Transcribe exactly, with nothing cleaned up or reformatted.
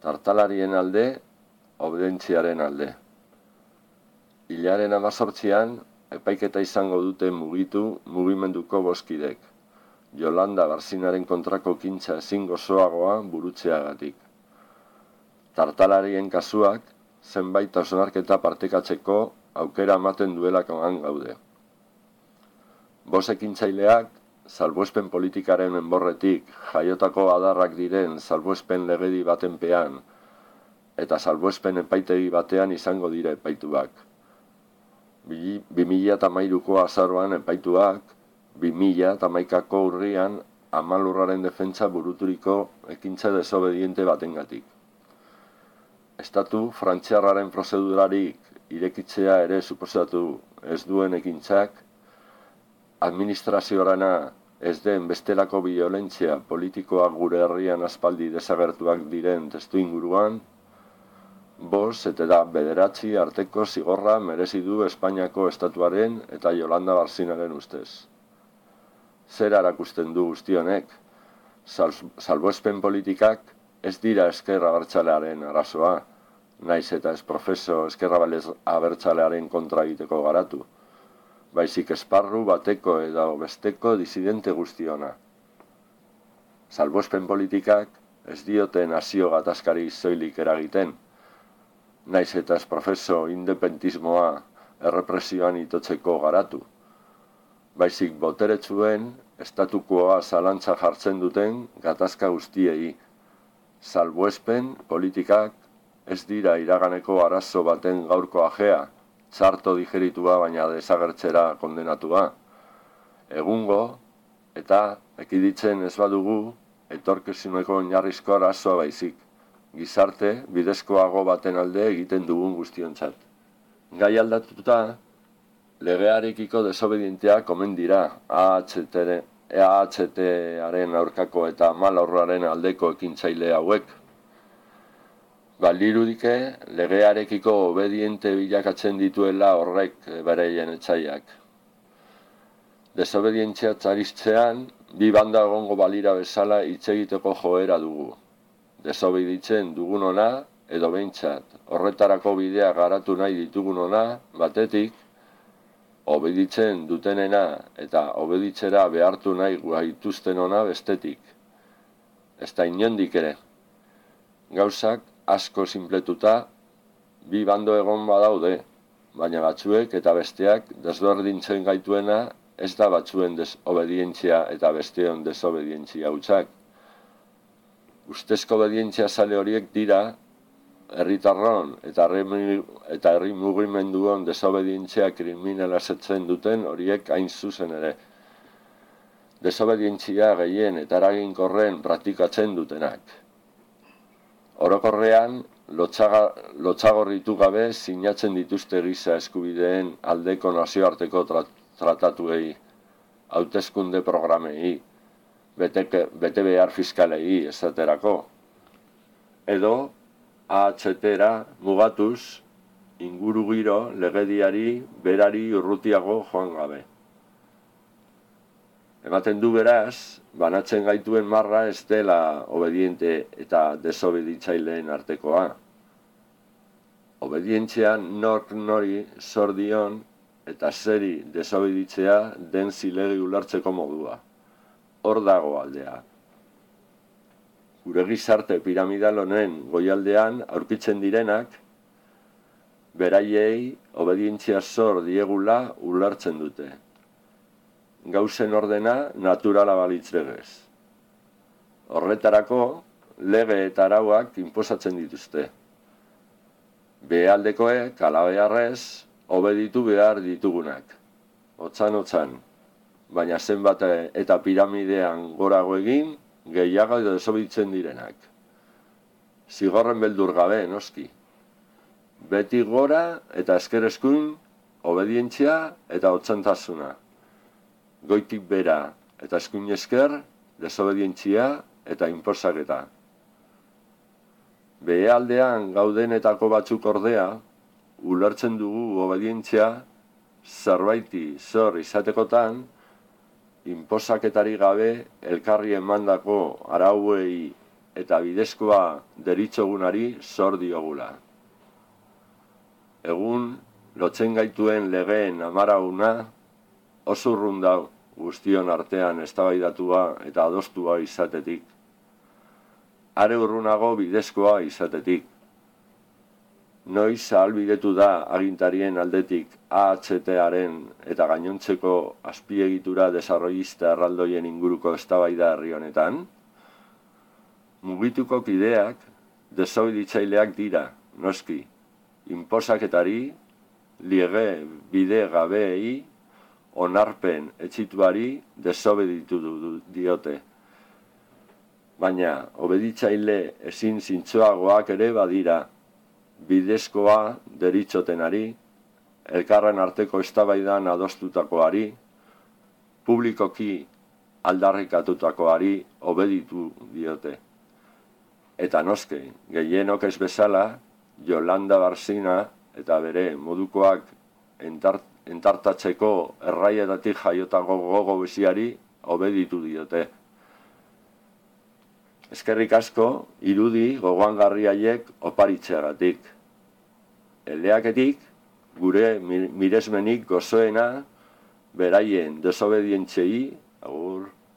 tartalarien alde, obedientziaren alde. Hilaren hamazortzian, epaiketa izango dute mugitu mugimenduko boskidek, Jolanda Barzinaren kontrako kintza ezin gozoagoa burutzeagatik. Tartalarien kasuak, zenbait hausnarketa partekatzeko aukera ematen duelakoan gaude. Bost ekintzaileak, salbuespen politikaren enborretik jaiotako adarrak diren salbuespen legedi batenpean eta salbuespen epaitegi batean izango dira epaituak. bi mila hamairuko azaroan epaituak, bi mila hamaikako urrian Amalurraren defentsa buruturiko ekintza desobediente batengatik. Estatu frantziarraren prozedurarik irekitzea ere suposatu ez duen ekintzak, administraziorana ez den bestelako biolentzia politikoa gure herrian aspaldi desagertuak diren testu inguruan, bost eta da bederatzi arteko zigorra merezi du Espainiako estatuaren eta Jolanda Barzinaren ustez. Zer erakusten du guzti honek? Salbuespen politikak ez dira ezker abertzalearen arazoa, naiz eta ez profeso ezker abertzalearen kontra egiteko garatu, baizik esparru bateko edo besteko disidente guztiona. Salbuespen politikak ez diote nazio gatazkari zoilik eragiten, naiz eta ez profeso independentismoa errepresioan itotzeko garatu, baizik boteretsuen estatukoa zalantza jartzen duten gatazka guztiei. Salbuespen politikak ez dira iraganeko arazo baten gaurko ajea, txarto digeritua baina desagertzera kondenatua. Egungo eta ekiditzen ez badugu etorkizuneko oinarrizko arazoa baizik, gizarte bidezkoago baten alde egiten dugun guztiontzat. Gai aldatuta, legearekiko desobedienteak omen dira A H T-aren aurkako eta Amalurraren aldeko ekintzaile hauek. Baldirudike legearekiko obediente bilakatzen dituela horrek bereien etsaiak. Desobedientzia txaristzean, bi banda egongo balira bezala hitz egiteko joera dugu. Desobeditzen dugunona edo behintzat, horretarako bidea garatu nahi ditugunona, batetik, obeditzen dutenena eta obeditzera behartu nahi gaituztenona bestetik. Ez da inondik ere. Gauzak asko sinpletuta, bi bando egon badaude, baina batzuek eta besteak desberdintzen gaituena ez da batzuen desobedientzia eta besteon desobedientzia hutsak. Ustezko obedientzia zale horiek dira, herritarron eta herri mugimenduon desobedientzia kriminalasetzen duten horiek hain zuzen ere. Desobedientzia gehien eta eraginkorren praktikatzen dutenak. Orokorrean, lotsagorritu gabe sinatzen dituzte giza eskubideen aldeko nazioarteko tratatuei, hauteskunde programei, bete behar fiskalei esaterako. Edo, A H T-ra mugatuz, ingurugiro legediari berari urrutiago joan gabe. Ematen du beraz, banatzen gaituen marra ez dela obediente eta desobeditzaileen artekoa. Obedientzia nork nori zor dion eta zeri desobeditzea den zilegi ulertzeko modua. Hor dago aldea. Gure gizarte piramidal honen goialdean aurkitzen direnak, beraiei obedientzia zor diegula ulertzen dute. Gauzen ordena naturala balitz legez. Horretarako, lege eta arauak inposatzen dituzte. Behealdekoek, alabeharrez, obeditu behar ditugunak. Otzan-otzan, baina zenbat eta piramidean gorago egin, gehiago desobeditzen direnak. Zigorren beldur gabe, noski. Beti gora eta eskereskun, obedientzia eta otzantasuna. Goitik bera eta eskuin esker, desobedientzia eta inposaketa. Behealdean gaudenetako batzuk ordea, ulertzen dugu obedientzia zerbaiti zor izatekotan, inposaketari gabe elkarri emandako arauei eta bidezkoa deritzogunari zor diogula. Egun, lotzen gaituen legeen amarauna, oso urrun da guztion artean eztabaidatua eta adostua izatetik. Are urrunago bidezkoa izatetik. Noiz ahalbidetu da agintarien aldetik A H T-aren eta gainontzeko azpiegitura desarrollista erraldoien inguruko eztabaida herri honetan? Mugituko kideak desobeditzaileak dira, noski, inposaketari, liege bide gabeei, onarpen etxituari desobeditu diote. Baina, obeditzaile ezin zintzoagoak ere badira, bidezkoa deritzotenari, elkarren arteko eztabaidan adostutakoari, publikoki aldarrikatutakoari obeditu diote. Eta noske, gehienok ez bezala, Yolanda Barzina eta bere modukoak entart, entartatzeko erraietatik jaiotako gogo biziari obeditu diote. Eskerrik asko, irudi gogoangarri haiek oparitzeagatik. Eleaketik, gure miresmenik gozoena, beraien desobedientziei, agur.